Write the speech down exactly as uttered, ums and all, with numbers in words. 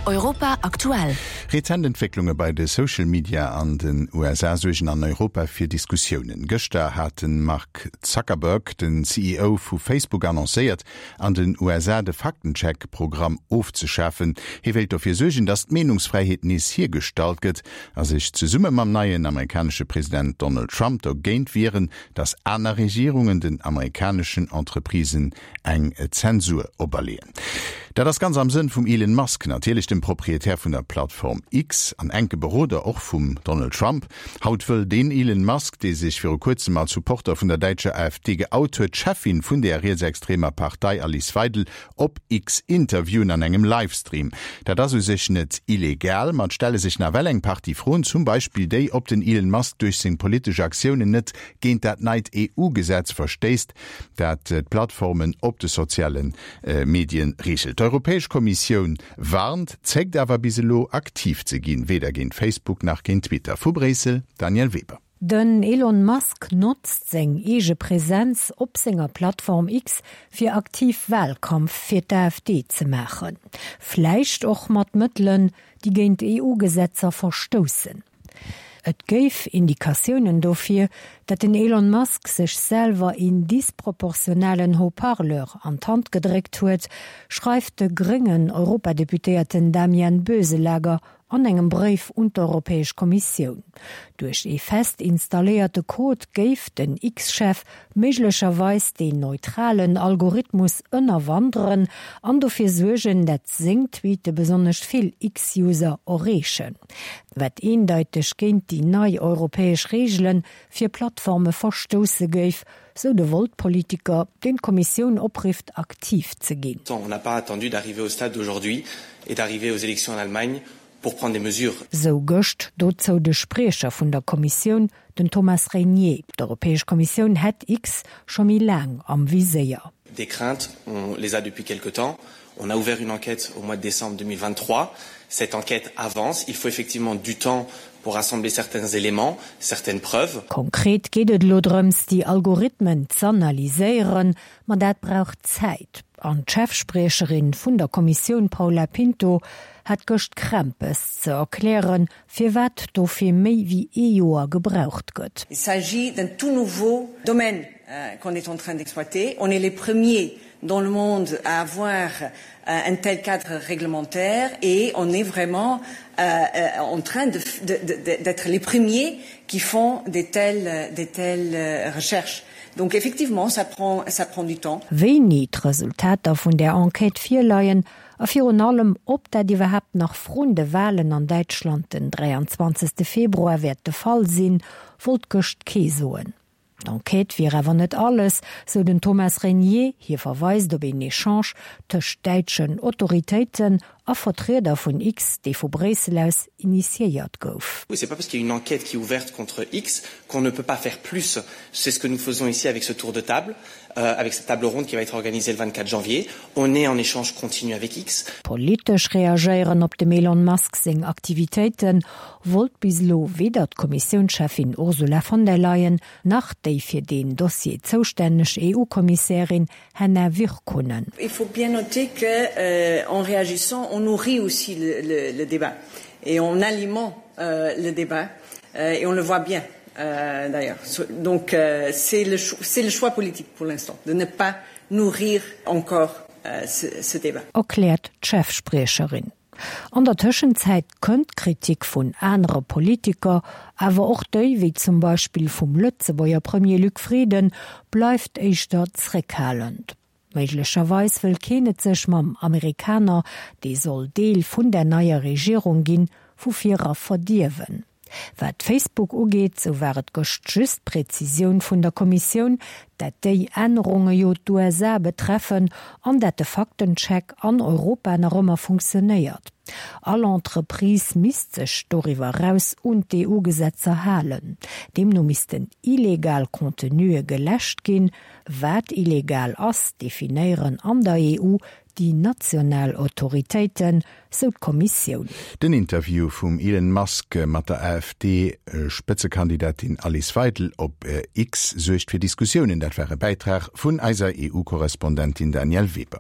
Europa aktuell. Rezent Entwécklunge bei de Social Media an den U S A suergen an Europa fir Diskussiounen. Gëschter hat de Mark Zuckerberg, den C E O vu Facebook, annoncéiert, an den U S A de Faktencheck-Programm ofzeschafen. Hie wéilt dofir suergen, datt d'Meenungsfräiheet nees hiergestallt gëtt a sech zesumme mam neien amerikanesche President Donald Trump dogéint wieren, datt aner Regierungen den amerikaneschen Entreprisen eng Zensur operleeën. Dat ass ganz am Sënn vum Elon Musk, natierlech dem Proprietär vun der Plattform X an enke Beroder och vum Donald Trump. Haut wëll den Elon Musk, dee sech viru kuerzem als Supporter vun der däitscher A F D geout huet, d'Cheffin vun der rietsextremer Partei Alice Weidel op X interviewen an engem Livestream. Dat ass u sech net illegal, ma et stelle sech nawell eng Partie Froen, zum Beispill déi, ob den Elon Musk duerch seng politesch Aktiounen net géint dat neit E U-Gesetz verstéisst, dat d'Plattformen op de soziale Medien reegelt. D'Europäesch Kommissioun warnt, zéckt awer bis elo aktiv ze ginn, weder géint Facebook nach géint Twitter. Vu Bréissel, Danièle Weber. Den Elon Musk notzt seng eege Presenz op senger Plattform X fir aktiv Walkampf fir d'A F D ze maachen. Vläicht och mat Mëttelen, déi géint E U-Gesetzer verstoussen. Et géif Indikatiounen dofir, datt den Elon Musk sech selwer een disproportionalen Haut-parleur an d'Hand gedréckt huet, schreift de gréngen Europadeputéierten Damian Boeselager an engem Bréif un d'Europäesch Kommissioun. Duerch ee fest installéierte Code géif den X-Chef méiglecherweis den neutralen Algorithmus ënnerwanderen an dofir suergen, datt seng Tweete besonnesch vill X-User erreechen. Wat eendeiteg géint déi nei europäesch Reegele fir Plattforme verstousse géif, sou de Volt-Politiker, deen d'Kommissioun oprifft, aktiv ze ginn. On n'a pas attendu d'arriver au stade d'aujourd'hui et d'arriver aux élections en Allemagne pour prendre des mesures. Sou gëscht dozou de Spriecher vun der Kommissioun, den Thomas Reynier. D'Europäesch Kommissioun hätt X scho méi laang am Viséier. Des craintes, on les a depuis quelque temps. On a ouvert une enquête au mois de décembre deux mille vingt-trois. Cette enquête avance. Il faut effectivement du temps pour rassembler certains éléments, certaines preuves. Konkret geet et elo drëms, déi Algorithmen z'analyséieren, ma dat brauch Zäit. An d'Chefspriecherin vun der Kommissioun Paula Pinto hat gëscht Krämpes ze erklären, firwat dofir méi wéi ee Joer gebraucht gëtt. Il s'agit d'un tout nouveau domaine euh, qu'on est en train d'exploiter. On est les premiers dans le monde à avoir euh, un tel cadre réglementaire et on est vraiment euh, euh, en train d'être de, de, de, les premiers qui font des telles, des telles euh, recherches. Donc effectivement, ça prend, ça prend du temps. Wéini d'Resultater vun der Enquête virleien, a virun allem, ob dat iwwerhaapt nach vrun de Walen an Däitschland den dräianzwanzegste Februar wäert de Fall sinn, wollt gëscht kee soen. D'Enquête wier awer net alles, sou den Thomas Reynier. Hie verweist op een Echange tëscht däitschen Autoritéiten a Vertrieder vun X, dee vu Bréissel aus initiéiert gouf. Oui, c'est pas parce qu'il y a une enquête qui est ouverte contre X qu'on ne peut pas faire plus. C'est ce que nous faisons ici avec ce tour de table, euh, avec cette table ronde qui va être organisée le vingt-quatre janvier. On est en échange continu avec X. Politesch reagéieren op dem Elon Musk seng Aktivitéite wollt bis elo weder d'Kommissiounscheffin Ursula von der Leyen nach déi fir den Dossier zoustänneg E U-Kommissärin Henna Virkkunen. Il faut bien noter que euh, en réagissant, on nourrit aussi le, le, le débat et on alimente euh, le débat euh, et on le voit bien euh, d'ailleurs. Donc euh, c'est le, le choix politique pour l'instant de ne pas nourrir encore euh, ce, ce débat. Erkläert d'Chefspriecherin. An der Tëschenzäit kënnt Kritik vun anere Politiker, awer och déi wéi zum Beispill vum Lëtzebuerger Premier Luc Frieden bleift éischter zréckhalend. Méiglecherweis wëll keen et sech mam Amerikaner, dee soll Deel vun der neier Regierung ginn, vu vir era verdierwen. Wat Facebook ugeet, sou war et gëscht just d'Präzisioun vun der Kommissioun, dat déi Ännerunge jo d'U S A betreffen an dat de Faktencheck an Europa nach ëmmer funktionéiert. All Entreprise misst sech doriwwer eraus un d'E U-Gesetzer halen. Deemno missten illegal Contenue geläscht ginn. Wat illegal ass, definéieren an der E U déi national Autoritéiten, sou d'Kommissioun. Den Interview vum Elon Musk mat der A F D-Spëtzekandidatin Alice Weidel op X suergt fir Diskussiounen. Dat war e Bäitrag vun eiser E U-Korrespondentin Danièle Weber.